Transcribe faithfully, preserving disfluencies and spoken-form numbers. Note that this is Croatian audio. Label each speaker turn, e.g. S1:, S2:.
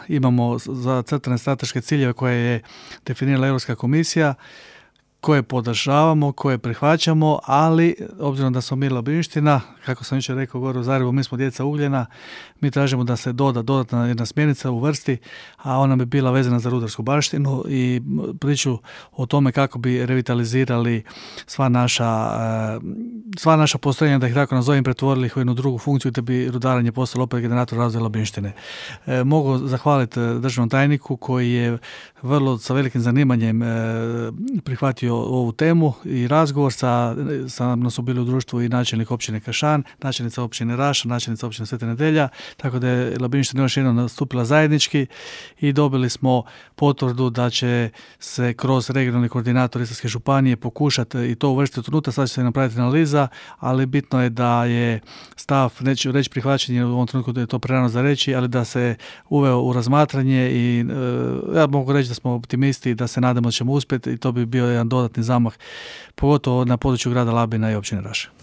S1: imamo zacrtane strateške ciljeve koje je definirala Europska komisija, koje podržavamo, koje prihvaćamo, ali obzirom da smo mi Labinština, kako sam jučer rekao gore u Zagrebu, mi smo djeca ugljena, mi tražimo da se doda dodatna jedna smjernica u vrsti, a ona bi bila vezana za rudarsku baštinu i priču o tome kako bi revitalizirali sva naša, sva naša postrojenja, da ih tako nazovem, pretvorili ih u jednu drugu funkciju, te bi rudarenje postalo opet generator razvoja Labinštine. E, mogu zahvaliti državnom tajniku koji je vrlo sa velikim zanimanjem e, prihvatio ovu temu i razgovor sa, sa mnom su bili u društvu i načelnik općine Kršan, načelnica općine Raša, načelnica općine Sveta Nedelja, tako da je Labinština još jednom nastupila zajednički i dobili smo potvrdu da će se kroz regionalni koordinator Istarske županije pokušati i to uvrstiti unutra, sad će se napraviti analiza, ali bitno je da je stav, neću reći prihvaćanje u ovom trenutku da je to prerano za reći, ali da se uveo u razmatranje i e, ja mogu reći da smo optimisti i da se nadamo da ćemo uspjeti i to bi bio jedan dodatni zamah, pogotovo na području grada Labina i općine Raše.